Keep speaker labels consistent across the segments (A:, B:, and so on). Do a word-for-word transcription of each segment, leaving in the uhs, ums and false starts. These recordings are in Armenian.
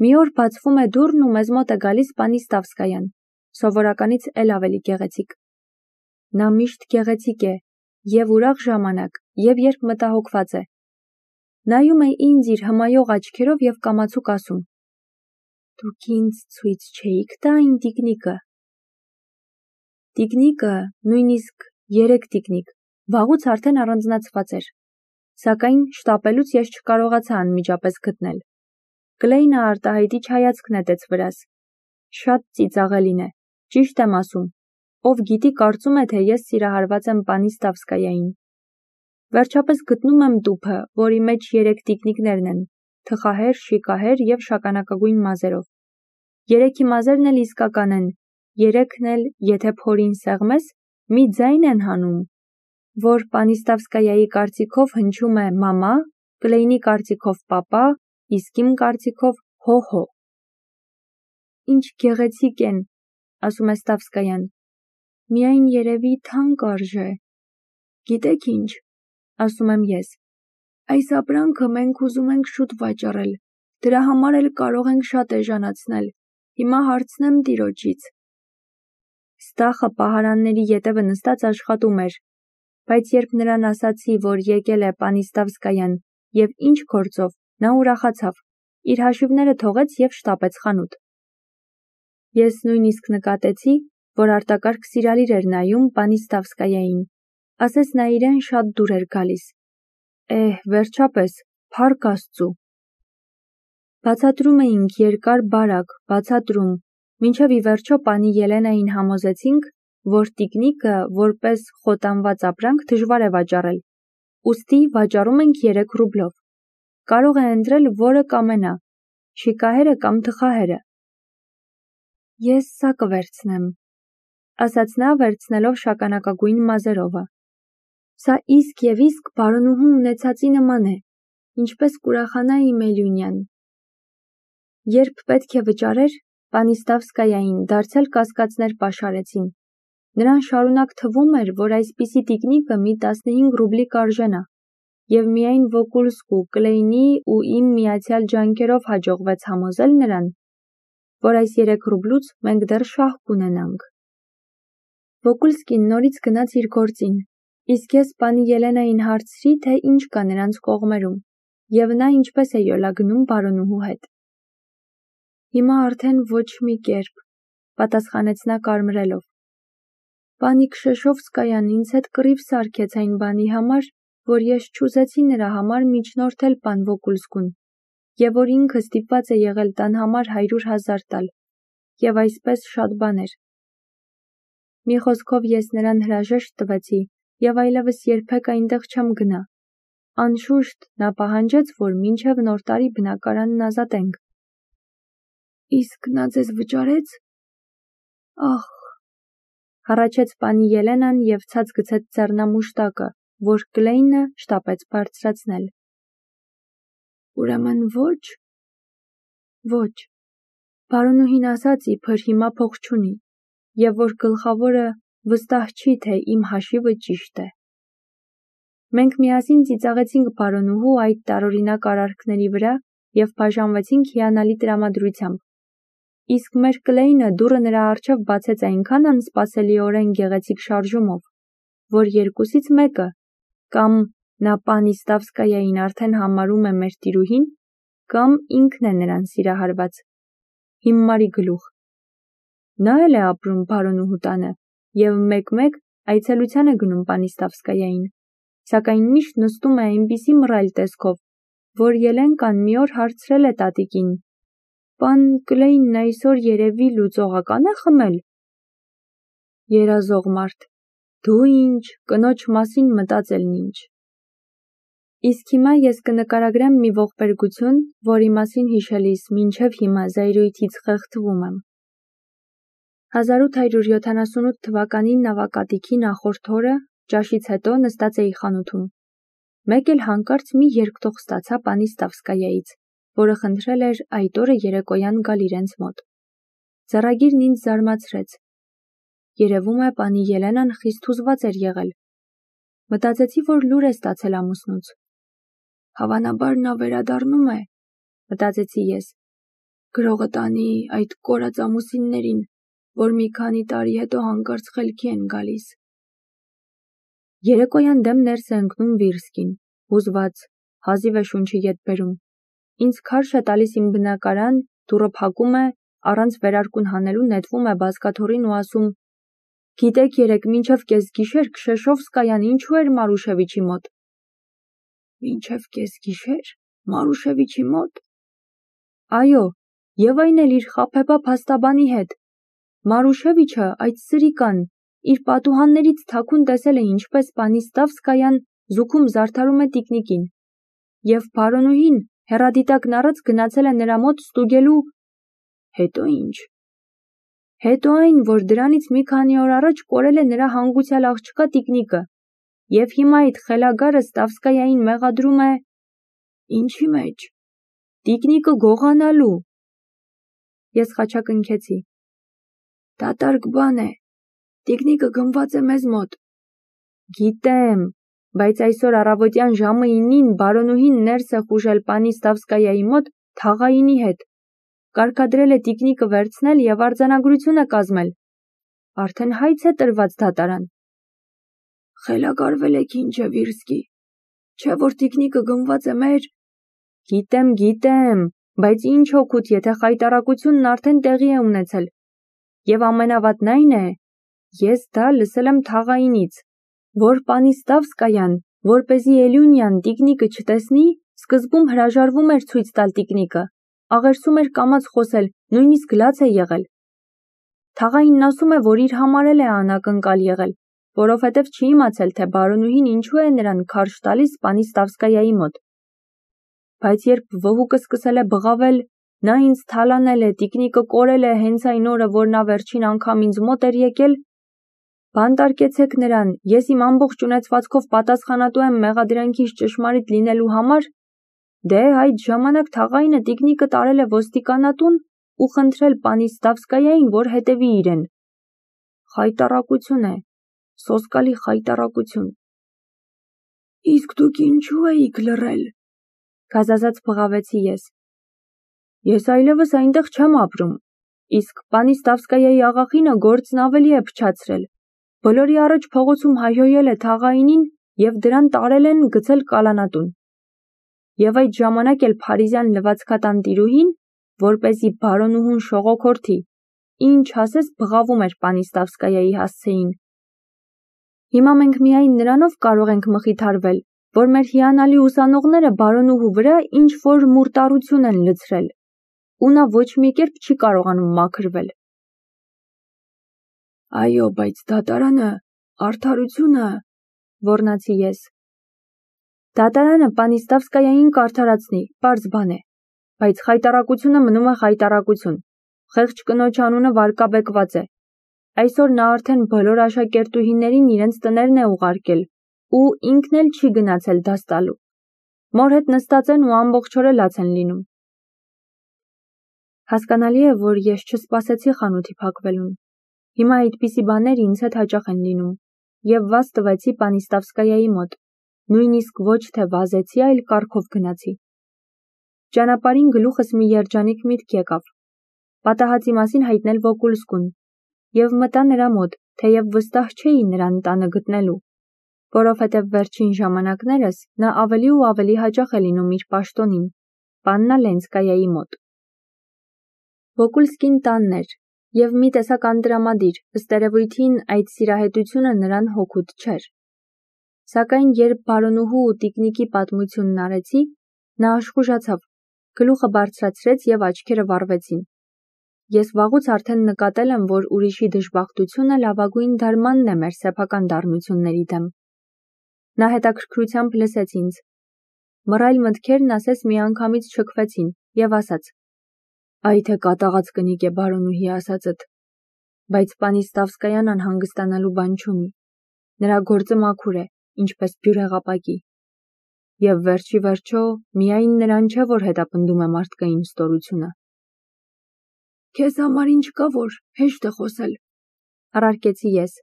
A: Մի օր բացվում է դուռն ու մեզ մոտ է գալիս պանի Ստավսկայան, սովորականից էլ ավելի գեղեցիկ։ Նա միշտ գեղեցիկ է, և ուրախ ժամանակ, և երբ մտահոգված է։ Նայում է ինձ իր հմայող աչքերով և կամացուկ ասում. «Դուք ինձ ցույց չէիք տա այն տիկնիկը»։ Տիկնիկը, նույնիսկ երեք տիկնիկ, վաղուց արդեն առանձնացված էր, սակայն շտապելուց ես չկարողացա անմիջապես գտնել։ Կլեյնը արտահայտիչ հայացք նետեց վրաս։ Շատ ծիծաղելին է, ճիշտ եմ ասում, ով գիտի կարծում է, թե ես սիրահարված եմ պանի Ստավսկայային։ Վերջապես գտնում եմ տուփը, որի մեջ երեք տիկնիկներն են, թխահեր, շիկահեր և շագանակագույն մազերով։ Երեքի մազերն էլ իսկական են, երեքն էլ, եթե փորին սեղմես, մի ձայն են հանում, որ պանի Ստավսկայայի կարծիքով հնչում է մամա, Կլեյնի կարծիքով պապա, իսկ իմ կարծիքով հո-հո։ Ինչ գեղեցիկ են, ասում է Ստավսկայան, միայն երևի թանկ արժե։ Գիտեք ինչ, ասում եմ ես, այս ապրանքը մենք ուզում ենք շուտ վաճառել, դրա համար էլ կարող ենք շատ էժանացնել, հիմա հարցնեմ տիրոջից։ Ստախը պահարանների ետևը նստած աշխատում էր, բայց երբ նրան ասացի, որ եկել է պանի Ստավսկայան և ինչ գործով, նա ուրախացավ, իր հաշիվները թողեց և շտապեց խանութ։ Ես նույնիսկ նկատեցի, որ արտակարգ սիրալիր էր նայում պանի Ստավսկայային, ասես նա իրեն շատ դուր էր գալիս։ Էհ, վերջապես, փառք Աստծու։ Բացատրում էինք երկար-բարակ, բացատրում, մինչև ի վերջո պանի Ելենային համոզեցինք, որ տիկնիկը որպես խոտանված ապրանք դժվար է վաճառել, ուստի վաճառում ենք երեք ռուբլով։ Կարող է ընտրել, որը կամենա, շիկահերը կամ թխահերը։ Ես սա կվերցնեմ, ասաց նա, վերցնելով շագանակագույն մազերովը։ Սա իսկ և իսկ բարոնուհու ունեցածի նման է, ինչպես կուրախանայի Մելյունյան։ Երբ պետք է վճարեր, պանի Ստավսկայային դարձյալ կասկածներ պաշարեցին։ Նրան շարունակ թվում էր, որ այսպիսի տիկնիկը մի տասնհինգ ռուբլի կարժենա, և միայն Վոկուլսկու, Կլեյնի ու իմ միացյալ ջանքերով հաջողվեց համոզել նրան, որ այս երեք ռուբլուց մենք դեռ շահ կունենանք։ Վոկուլսկին նորից գնաց իր գործին, իսկ ես պանի Ելենային հարցրի, թե ինչ կա նրանց կողմերում, և նա ինչպես է յոլա գնում բարոնուհու հետ։ Հիմա արդեն ոչ մի կերպ, պատասխանեց նա կարմրելով։ Պանի Քշեշովսկայան ինձ հետ կռիվ սարքեց այն բանի համար, որ ես չուզեցի նրա համար միջնորդել պան Վոկուլսկուն, և որ ինքը ստիպված է եղել տան համար հարյուր հազար տալ, և այսպես շատ բաներ։ Մի խոսքով ես նրան հրաժեշտ տվեցի և այլևս երբեք այնտեղ չեմ գնա։ Անշուշտ, նա պահանջեց, որ մինչև նոր տարի բնակարանն ազատենք։ Իսկ նա ձեզ վճարեց։ Ախ, հառաչեց պանի Ելենան և ցած գցեց ձեռնամուշտակը, որ Կլեյնը շտապեց բարձրացնել։ Ուրեմն ոչ։ Ոչ։ Բարոնուհին ասաց, իբր հիմա փող չունի, և որ գլխավորը վստահ չի, թե իմ հաշիվը ճիշտ է։ Մենք միասին ծիծաղեցինք բարոնուհու այդ տարօրինակ արարքների վրա և բաժանվեցինք հիանալի տրամադրությամբ։ Իսկ մեր Կլեյնը դուռը նրա առջև բացեց այնքան անսպասելիորեն գեղեցիկ շարժումով, որ երկուսից մեկը, կամ նա պանի Ստավսկայային արդեն համարում է մեր տիրուհին, կամ ինքն է նրան սիրահարված։ Հիմարի գլուխ։ Նա էլ է ապրում բարոնուհու տանը և մեկ-մեկ այցելության է գնում պանի Ստավսկայային, սակայն միշտ նստում է այնպիսի մռայլ տեսքով, որ Ելենկան մի օր հարցրել է տատիկին. Պան Կլեյնն այսօր երևի լուծողական է խմել։ Երազող մարդ, դու ինչ, կնոջ մասին մտածելն ինչ։ Իսկ հիմա ես կնկարագրեմ մի ողբերգություն, որի մասին հիշելիս մինչև հիմա զայրույթից խեղդվում եմ։ հազար ութ հարյուր յոթանասունութ թվականի նավակատիքի նախորդ օրը, ճաշից հետո նստած էի խանութում։ Մեկ էլ հանկարծ մի երկտող ստացա պանի Ստավսկայայից, որը խնդրել էր այդ օրը երեկոյան գալ իրենց մոտ։ Ձեռագիրն ինձ զարմացրեց։ Երևում է, պանի Ելենան խիստ հուզված էր եղել։ Մտածեցի, որ լուր է ստացել ամուսնուց։ Հավանաբար նա վերադառնում է, մտածեցի ես։
B: Գրողը տանի այդ կորած ամուսիններին, որ մի քանի տարի հետո հանկարծ խելքի են գալիս։
A: Երեկոյան դեմ ներս է ընկնում Վիրսկին, հուզված, հազիվ է շունչի ետ բերում։ Ինձ քարշ է տալիս իմ բնակարան, դուռը փակում է, առանց վերարկուն հանելու նետվում է բազկաթոռին ու ասում. «Գիտեք երեկ մինչև կեսգիշեր Քշեշովսկայան ինչու էր Մարուշևիչի մոտ»։
B: Մինչև կեսգիշեր, Մարուշևիչի մոտ։
A: Այո, եւ այն էլ իր խաբեբա փաստաբանի հետ։ Մարուշևիչը, այդ սրիկան, իր պատուհաններից թաքուն տեսել է ինչպես Պանիստավսկայան զուգում զարդարում է տիկնիկին։ Եվ բարոնուհին հեռադիտակն առած գնացել է նրա մոտ ստուգելու։
B: Հետո ինչ։
A: Հետո այն, որ դրանից մի քանի օր առաջ կորել է նրա հանգուցյալ աղջկա տիկնիկը, եւ հիմա այդ խելագարը Ստավսկայային մեղադրում է…
B: Ինչի մեջ։
A: Տիկնիկը գողանալու։ Ես խաչակնքեցի։
B: Դատարկ բան է։ Տիկնիկը գնված է մեզ մոտ։
A: Գիտեմ, բայց այսօր առավոտյան ժամը ինին բարոնուհին ներս է խուժել Պանիստավսկայայի մոտ թաղայինի հետ։ Կարգադրել է տիկնիկը վերցնել եւ արձանագրություն է կազմել։ Արդեն հայց է տրված դատարան։
B: Խելագարվել եք ինչ է Վիրսկի։ Չէ որ տիկնիկը գնված է մեր…
A: Գիտեմ, գիտեմ, բայց ինչ օգուտ, եթե խայտարակությունն արդեն տեղի է ունեցել։ Եվ ամենավատն այն է, ես դա լսել եմ թաղայինից, որ Պանիստավսկայան, որպեսզի Էլյունյան տիկնիկը չտեսնի, սկզբում հրաժարվում էր ցույց տալ տիկնիկը, աղերսում էր կամաց խոսել, նույնիսկ լաց է եղել։ Թաղայինն ասում է, որ իր համար էլ է անակնկալ եղել, որովհետև չի իմացել, թե բարոնուհին ինչու է նրան քարշ տալիս Պանիստավսկայայի մոտ։ Բայց երբ վհուկը սկսել է բղավել, նա ինձ թալանել է, տիկնիկը կորել է հենց այն օրը, որ նա վերջին անգամ ինձ մոտ էր եկել, բանտարկեցեք նրան, ես իմ ամբողջ ունեցվածքով պատասխանատու եմ մեղադրանքից ճշմարիտ լինելու համար, դե այդ ժամանակ թաղայինը տիկնիկը տարել է ոստիկանատուն ու խնդրել Պանիստավսկայային, որ հետևի իրեն։ Խայտառակություն է, սոսկալի խայտառակություն։
B: Իսկ դուք ինչու էիք լռել։
A: Գազազած բղավեցի ես։ Ես այլևս այնտեղ չեմ ապրում, իսկ Պանիստավսկայայի աղախինը գործն ավելի է փչացրել։ Բոլորի առաջ փողոցում հայհոյել է թաղայինին եւ դրան տարել են գցել կալանատուն։ Եվ այդ ժամանակ էլ փարիզյան լվացքատան տիրուհին, որպեսզի բարոնուհուն շողոքորթի, ինչ ասես բղավում էր Պանիստավսկայայի հասցեին։ Հիմա մենք միայն նրանով կարող ենք մխիթարվել, որ մեր հիանալի ուսանողները բարոնուհու վրա ինչ-որ մուրտառություն են լցրել, ու նա ոչ մի կերպ չի կարողանում մաքրվել։
B: Այո, բայց դատարանը, արդարությունը,
A: ոռնացի ես։ Դատարանը Պանիստավսկայային կարդարացնի, պարզ բան է, բայց խայտառակությունը մնում է խայտառակություն, խեղճ կնոջ անունը վարկաբեկված է։ Այսօր նա արդեն բոլոր աշակերտուհիներին իրենց տներն է ուղարկել, ու ինքն էլ չի գնացել դաս տալու։ Մոր հետ նստած են ու ամբողջ օրը լաց են լինում։ Հասկանալի է, որ ես չսպասեցի խանութի փակվելուն։ Հիմա այդպիսի բաներ ինձ հետ հաճախ են լինում, եւ վազ տվեցի Պանիստավսկայայի մոտ, նույնիսկ ոչ թե վազեցի, այլ կառքով գնացի։ Ճանապարհին գլուխս մի երջանիկ միտք եկավ, պատահածի մասին հայտնել Վոկուլսկուն, եւ մտա նրա մոտ, թեև վստահ չէի նրան տանը գտնելու, որովհետև վերջին ժամանակներս նա ավելի ու ավելի հաճախ է լինում իր պաշտոնին, Պաննա Լենսկայայի մոտ։ Վոկուլսկին տանն էր, եւ մի տեսակ անդրամադիր, ըստ երևույթին այդ սիրահետությունը նրան հոգուտ չէր։ Սակայն երբ բարոնուհու ու տիկնիկի պատմությունն արեցի, նա աշխուժացավ, գլուխը բարձրացրեց եւ աչքերը վառվեցին։ Ես վաղուց արդեն նկատել եմ, որ ուրիշի դժբախտությունը լավագույն դարմանն է մեր սեփական դառնությունների դեմ։ Նա հետաքրքրությամբ լսեց ինձ։ Մռայլ մտքերն ասես միանգամից չքվեցին եւ ասաց. «Այ թե կատաղած կնիկ է բարոնուհի ասածդ, բայց Պանիստավսկայան անհանգստանալու բան չունի։ Նրա գործը մաքուր է, ինչպես բյուրեղապակի։ Եվ վերջի վերջո միայն նրան չէ, որ հետապնդում է մարդկային ստորությունը»։
B: Քեզ համար ինչ կա, որ հեշտ է խոսել,
A: առարկեցի ես։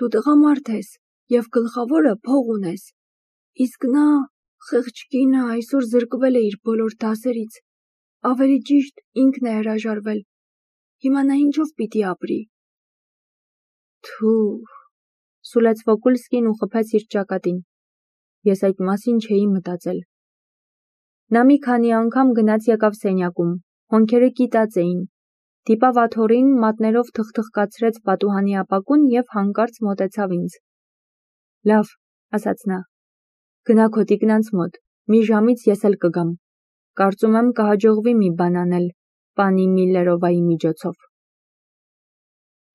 B: Դու տղամարդ ես եւ գլխավորը փող ունես։ Իսկ նա, խեղճ կինը, այսօր զրկվել է իր բոլոր դասերից։ Ավելի ճիշտ ինքն է հրաժարվել։ Հիմա նա ինչով պիտի ապրի։
A: Թու, սուլեց Վոկուլսկին ու խփեց իր ճակատին։ Ես այդ մասին չէի մտածել։ Նա մի քանի անգամ գնաց եկավ սենյակում, հոնքերը կիտած էին, դիպավ աթոռին, մատներով թխթխկացրեց պատուհանի ապակուն և հանկարծ մոտեցավ ինձ։ Լավ, ասաց նա, գնա քո տիկնանց մոտ, մի ժամից ես էլ կգամ։ Կարծում եմ կհաջողվի մի բան անել պանի Միլլերովայի միջոցով։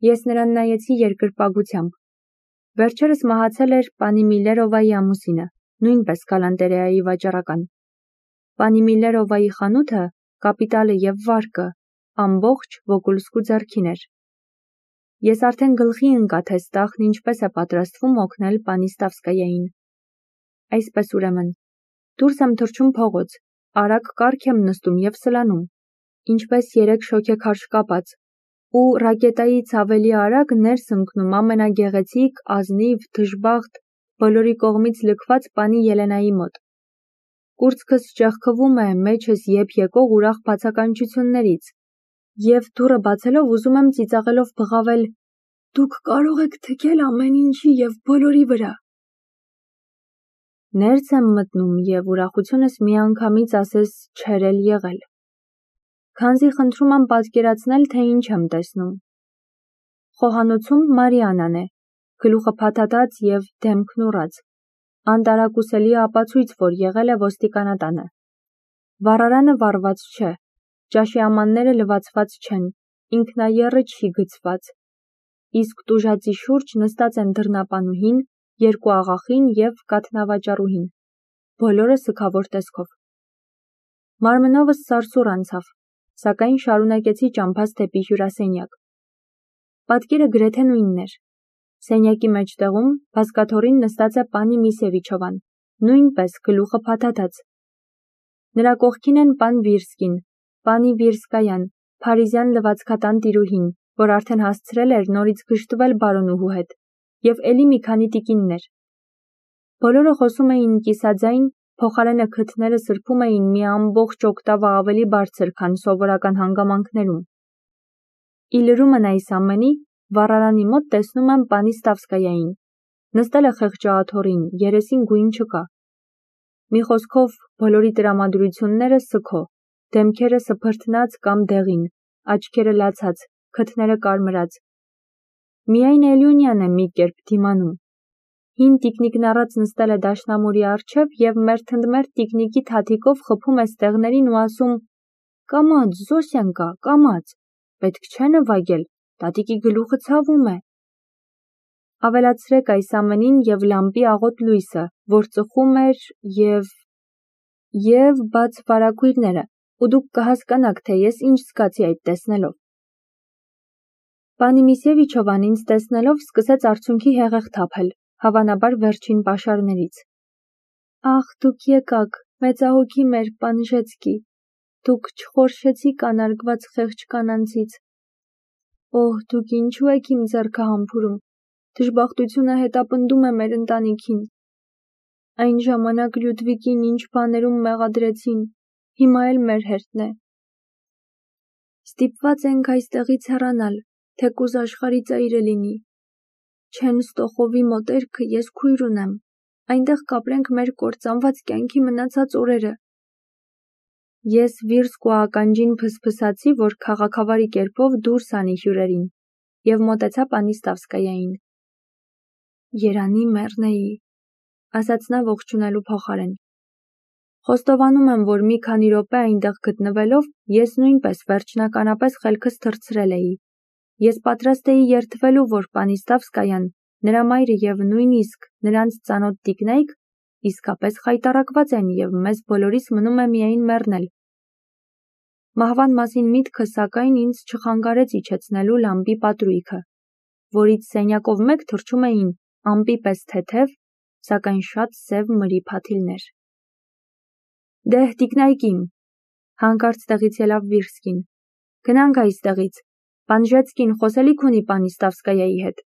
A: Ես նրան նայեցի երկրպագությամբ։ Վերջերս մահացել էր պանի Միլլերովայի ամուսինը, նույնպես գալանտերեայի վաճառական։ Պանի Միլլերովայի խանութը, կապիտալը և վարկը ամբողջ Վոկուլսկու ձեռքին էր։ Ես արդեն գլխի ընկա, թե Ստախն ինչպես է պատրաստվում օգնել պանի Ստավսկայային։ Այսպես ուրեմն, դուրս եմ թռչում փողոց, արագ կառք եմ նստում և սլանում, ինչպես երեք շոգեքարշ կապած, ու ռակետայից ավելի արագ ներս ընկնում ամենագեղեցիկ, ազնիվ, դժբախտ, բոլորի կողմից լքված պանի Ելենայի մոտ։ Կուրծքս ճեղքվում է մեջս եփ եկող ուրախ բացականչություններից, և դուռը բացելով ուզում եմ ծիծաղելով բղավել. «Դուք կարող եք թքել ամեն ինչի և բոլորի վրա»։ Ներս եմ մտնում և ուրախությունս միանգամից ասես չէր էլ եղել։ Քանզի խնդրում եմ պատկերացնել, թե ինչ եմ տեսնում։ Խոհանոցում Մարիաննան է, գլուխը փաթաթած և դեմքն ուռած, անտարակուսելի ապացույց, որ եղել է ոստիկանատանը։ Վառարանը վառված չէ, ճաշի ամանները լվացված չեն, ինքնաեռը չի գցված, իսկ տուժածի շուրջ նստած են դռնապանուհին, երկու աղախին և կաթնավաճառուհին, բոլորը սգավոր տեսքով։ Մարմնովս սարսուռ անցավ, սակայն շարունակեցի ճամփաս դեպի հյուրասենյակ։ Պատկերը գրեթե նույնն էր։ Սենյակի մեջտեղում բազկաթոռին նստած է պանի Միսևիչովան, նույնպես գլուխը փաթաթած։ Նրա կողքին են պան Վիրսկին, պանի Վիրսկայան, փարիզյան լվացքատան տիրուհին, որ արդեն հասցրել էր նորից գժտվել բարոնուհու հետ, և էլի մի քանի տիկիններ։ Բոլորը խոսում էին կիսաձայն, փոխարենը քթները սրբում էին մի ամբողջ օկտավա ավելի բարձր, քան սովորական հանգամանքներում։ Ի լրումն այս ամենի, վառարանի մոտ տեսնում եմ պանի Ստավսկայային, նստել է խեղճաաթոռին, երեսին գույն չկա։ Մի խոսքով, բոլորի տրամադրությունները սգո, դեմքերը սփրթնած կամ դեղին, աչքերը լացած, քթները կարմրած։ Միայն Էլյունյան է մի կերպ դիմանում։ Հին տիկնիկն առած նստել է դաշնամուրի առջև և մերթընդմերթ տիկնիկի թաթիկով խփում է ստեղներին ու ասում. «Կամաց, Զոսյանկա, կամաց, պետք չէ նվագել, տատիկի գլուխը ցավում է»։ Ավելացրեք այս ամենին և լամպի աղոտ լույսը, որ ծխում էր և… և բաց վարագույրները, ու դուք կհասկանաք, թե ես ինչ զգացի այդ տեսնելով։ Պանի Միսևիչովան ինձ տեսնելով սկսեց արցունքի հեղեղ թափել, հավանաբար վերջին պաշարներից։ Ախ, դուք եկաք, մեծահոգի մեր պանժեցկի, դուք չխորշեցիք անարգված խեղճ կանանցից։ Օհ, դուք ինչու եք իմ ձեռքը համբուրում, դժբախտությունը հետապնդում է մեր ընտանիքին։ Այն ժամանակ Լյուդվիգին ինչ բաներում մեղադրեցին, հիմա էլ մեր հերթն է։ Ստիպված ենք այստեղից հեռանալ, թեկուզ աշխարհի ծայրը լինի։ Չենստոխովի մոտերքը ես քույր ունեմ, այնտեղ կապրենք մեր կործանված կյանքի մնացած օրերը։ Ես Վիրսկու ականջին փսփսացի, որ քաղաքավարի կերպով դուրս անի հյուրերին, և մոտեցա պանի Ստավսկայային։ Երանի մեռնեի, ասաց նա ողջունելու փոխարեն։ Խոստովանում եմ, որ մի քանի րոպե այնտեղ գտնվելով, ես նույնպես վերջնականապես խելքս թռցրել էի։ Ես պատրաստ էի երդվելու, որ պանի Ստավսկայան, նրա մայրը և նույնիսկ նրանց ծանոթ տիկնայք իսկապես խայտառակված են և մեզ բոլորիս մնում է միայն մեռնել։ Մահվան մասին միտքը, սակայն, ինձ չխանգարեց իջեցնելու լամպի պատրույգը, որից սենյակով մեկ թռչում էին ամպի պես թեթև, սակայն շատ սև մրի փաթիլներ։ Դեհ, տիկնայք իմ, հանկարծ տեղից ելավ Վիրսկին, գնանք այստեղից, Պանժեցկին խոսելիք ունի պանի Ստավսկայայի հետ։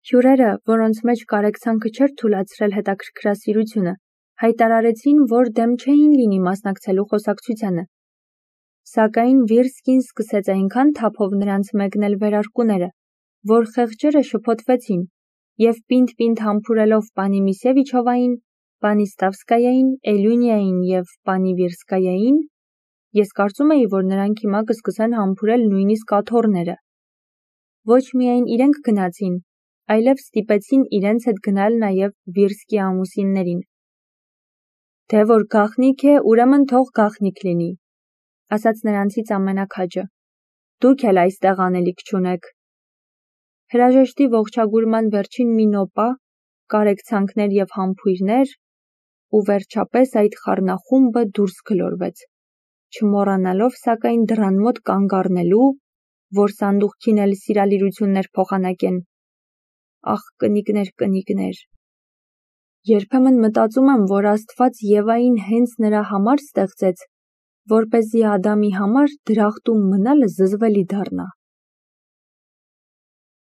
A: Հյուրերը, որոնց մեջ կարեկցանքը չէր թուլացրել հետաքրքրասիրությունը, հայտարարեցին, որ դեմ չէին լինի մասնակցելու խոսակցությանը, Սակայն Վիրսկին սկսեց այնքան թափով նրանց մեկնել վերարկուները, որ խեղճերը շփոթվեցին և պինդ-պինդ համբուրելով պանի Միսևիչովային, պանի Ստավսկայային, Էլյունիային և պանի Վիրսկայային, ես կարծում էի, որ նրանք հիմա կսկսեն համբուրել նույնիսկ աթոռները։ Ոչ միայն իրենք գնացին, այլև ստիպեցին իրենց հետ գնալ նաև Վիրսկի ամուսիններին։ Թե որ գաղտնիք է, ուրեմն թող գաղտնիք լինի, ասաց նրանցից ամենաքաջը։ Դուք էլ այստեղ անելիք չունեք։ Հրաժեշտի ողջագուրման վերջին մի նոպա, կարեկցանքներ և համբույրներ, ու վերջապես այդ խառնախումբը դուրս գլորվեց, չմոռանալով սակայն դռան մոտ կանգ առնելու, որ սանդուղքին էլ սիրալիրություններ փոխանակեն։ Ախ, կնիկներ, կնիկներ։ Երբեմն մտածում եմ, որ Աստված Եվային հենց նրա համար ստեղծեց, որպեսզի Ադամի համար դրախտում մնալը զզվելի դառնա։